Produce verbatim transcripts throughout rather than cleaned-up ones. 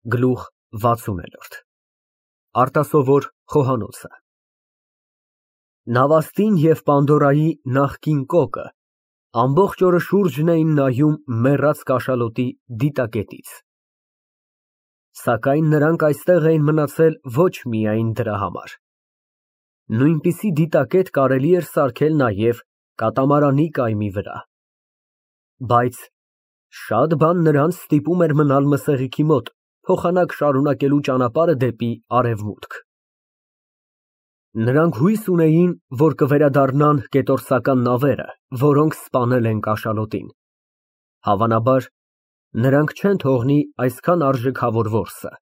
Գլուխ վաթսուն Արտասովոր խոհանոցը Նավաստին և Պանդորայի նախկին կոկը ամբողջ օրը շուրջն էին նայում մեռած կաշալոտի դիտակետից, սակայն նրանք այստեղ էին մնացել ոչ միայն դրա համար, նույնպիսի դիտակետ կարելի էր սարքել նաև կատամարանի կայմի վրա, բայց շատ բան նրանց ստիպում էր մնալ Մսեղիքի մոտ փոխանակ շարունակելու ճանապարհը դեպի արևմուտք։ Նրանք հույս ունեին, որ կվերադառնան կետորսական նավերը, որոնք սպանել են կաշալոտին, հավանաբար նրանք չեն թողնի այսքան արժեքավոր որսը։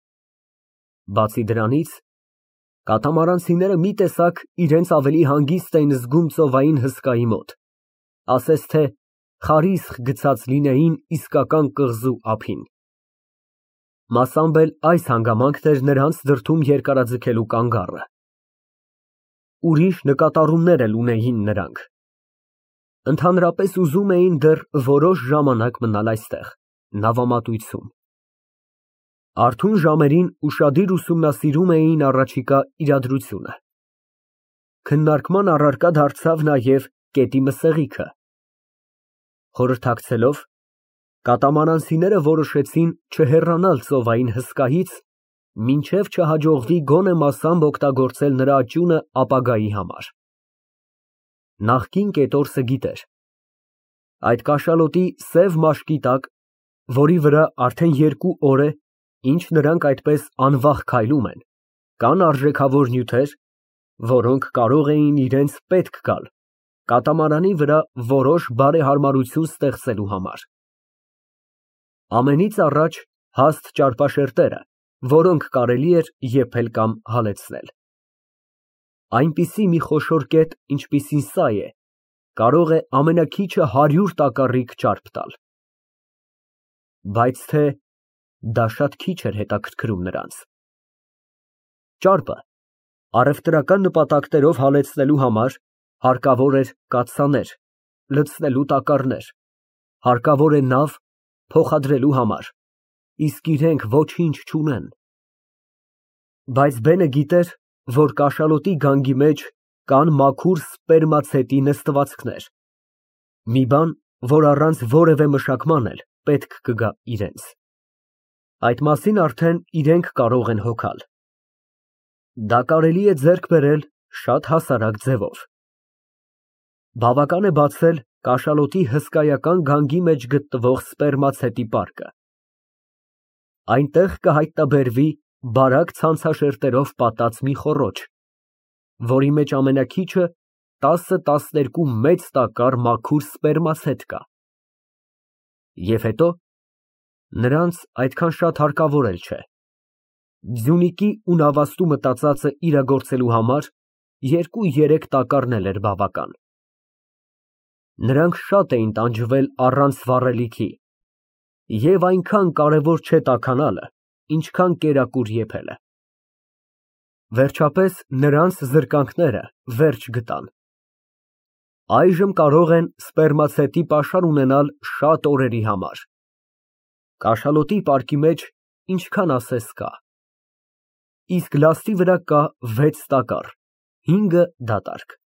Բացի դրանից, կատամարանցիները մի տեսակ իրենց ավելի հանգիստ էին զգում ծովային հսկայի մոտ, ասես թե խարիսխ գցած լինեին իսկական կղզու ափին։ Մասամբ էլ այս հանգամանքն էր նրանց դրդում երկարաձգելու կանգառը։ Ուրիշ նկատառումներ էլ ունեին նրանք։ Ընդհանրապես ուզում էին դեռ որոշ ժամանակ մնալ այստեղ, նավամատույցում։ Արթուն ժամերին ուշադիր ուսումնասիրում էին առաջիկա իրադրությունը։ Քննարկման առարկա դարձավ նաև կետի Մսեղիքը։ Խորհրդակցելով, կատամարանցիները որոշեցին չհեռանալ ծովային հսկայից, մինչև չհաջողվի գոնե մասամբ օգտագործել նրա աճյունը ապագայի համար։ Նախկին կետորսը գիտեր. այդ կաշալոտի սև մաշկի տակ, որի վրա արդեն երկու օր է, ինչ նրանք այդպես անվախ քայլում են, կան արժեքավոր նյութեր, որոնք կարող էին իրենց պետք գալ կատամարանի վրա որոշ բարեհարմարություն ստեղծելու համար։ Ամենից առաջ հաստ ճարպաշերտերը, որոնք կարելի էր եփել կամ հալեցնել։ Այնպիսի մի խոշոր կետ, ինչպիսին սա է, կարող է ամենաքիչը հարյուր տակառիկ ճարպ տալ։ Բայց թե դա շատ քիչ էր հետաքրքրում նրանց։ Ճարպը առևտրական նպատակներով հալեցնելու համար հարկավոր էր կաթսաներ, լցնելու տակառներ, հարկավոր է նավ փոխադրելու համար, իսկ իրենք ոչինչ չունեն։ Բայց Բենը գիտեր, որ կաշալոտի գանգի մեջ կան մաքուր սպերմացետի նստվածքներ, մի բան, որ առանց որևէ մշակման էլ պետք կգա իրենց։ Այդ մասին արդեն իրենք կարող են հոգալ։ Դա կարելի է ձեռք բերել շատ հասարակ ձևով։ Բավական է բացել կաշալոտի հսկայական գանգի մեջ գտնվող սպերմացետի պարկը։ Այնտեղ կհայտնաբերվի բարակ ցանցաշերտերով պատած մի խոռոչ, որի մեջ ամենաքիչը տասը տասներկու մեծ տակառ մաքուր սպերմացետ կա։ Եվ հետո նրանց այդքան շատ հարկավոր էլ չէ։ Ձյունիկի ու նավաստու մտածածը իրագործելու համար երկու֊երեք տակառն էր բավական։ Նրանք շատ էին տանջվել առանց վառելիքի, և այնքան կարևոր չէ տաքանալը, ինչքան կերակուր եփելը։ Վերջապես նրանց զրկանքները վերջ գտան։ Այժմ կարող են սպերմացետի պաշար ունենալ շատ օրերի համար։ Կաշալոտի պարկի մեջ ինչքան ասես կա։ Իսկ լաստի վրա կա վեց տակառ, հինգը դատարկ։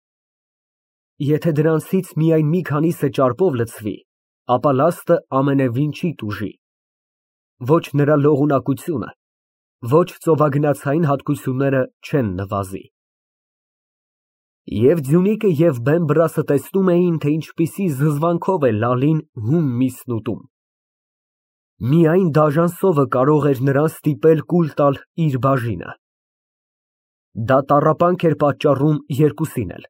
Եթե դրանցից միայն մի քանիսը ճարպով լցվի, ապա լաստը ամենևին չի տուժի։ Ոչ նրա լողունակությունը, ոչ ծովագնացային հատկությունները չեն նվազի։ Եվ Ձյունիկը և Բեմբրասը տեսնում էին, թե ինչպիսի զզվանքով է լալին հում միսն ուտում։ Միայն դաժան սովը կարող էր նրան ստիպել կուլ տալ իր բաժինը։ Դա տառապանք էր պատճառում երկուսին էլ,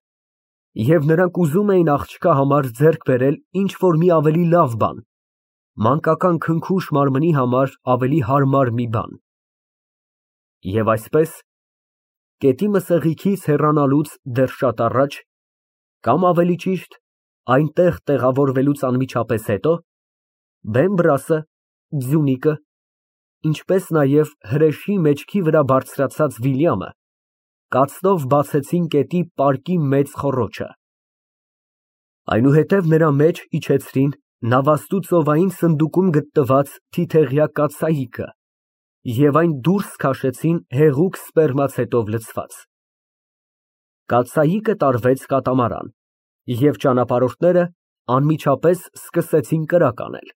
և նրանք ուզում էին աղջկա համար ձեռք բերել ինչ֊որ մի ավելի լավ բան, մանկական քնքուշ մարմնի համար ավելի հարմար մի բան։ Եվ այսպես, կետի Մսեղիքից հեռանալուց դեռ շատ առաջ, կամ ավելի ճիշտ, այնտեղ տեղավորվելուց անմիջապես հետո, Բեմբրասը, Ձյունիկը, ինչպես նաև հրեշի մեջքի վրա բարձրացած Վիլյամը կացնով բացեցին կետի պարկի մեծ խոռոչը։ Այնուհետև նրա մեջ իջեցրին նավաստու ծովային սնդուկում գտնված թիթեղյա կաթսայիկը և այն դուրս քաշեցին հեղուկ սպերմացետով լցված։ Կաթսայիկը տարվեց կատամարան, և ճանապարհորդները անմիջապես սկսեցին կրակ անել։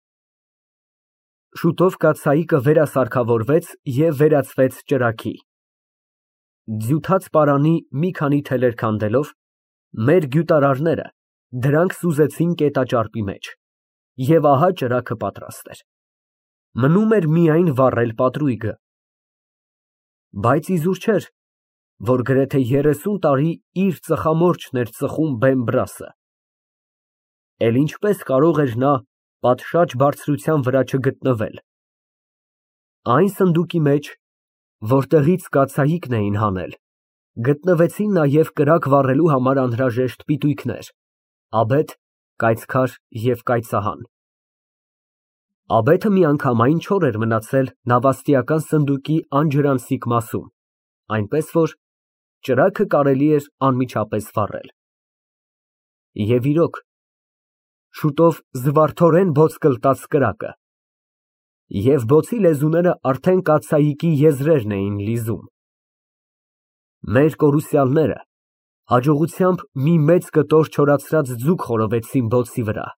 Շուտով կաթսայիկը վերասարքավորվեց և վերածվեց ճրագի։ Ձյութած պարանի մի քանի թելեր քանդելով, մեր գյուտարարները դրանք սուզեցին կետաճարպի մեջ, և ահա ճրագը պատրաստ էր։ Մնում էր միայն վառել պատրույգը։ Բայց իզուր չէր, որ գրեթե երեսուն տարի իր ծխամորճն էր ծխում Բեմ֊բրասը։ Էլ ինչպես կարող էր նա պատշաճ բարձրության վրա չգտնվել։ Այն սնդուկի մեջ, որտեղից կաթսայիկն էին հանել, գտնվեցին նաև կրակ վառելու համար անհրաժեշտ պիտույքներ՝ աբեթ, կայծքար և կայծահան։ Աբեթը միանգամայն չոր էր մնացել նավաստիական սնդուկի անջրանցիկ մասում, այնպես որ ճրագը կարելի էր անմիջապես վառել։ Եվ իրոք, շուտով զվարթորեն բոց կլտաց կրակը, և բոցի լեզուները արդեն կաթսայիկի եզրերն էին լիզում։ Մեր կորուսյալները հաջողությամբ մի մեծ կտոր չորացրած ձուկ խորովեցին բոցի վրա։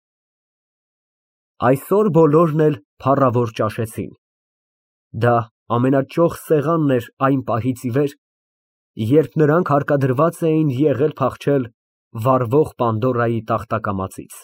Այսօր բոլորն էլ փառավոր ճաշեցին։ Դա ամենաճոխ սեղանն էր այն պահից ի վեր, երբ նրանք հարկադրված էին եղել փախչել վառվող Պանդորայի տախտակամածից։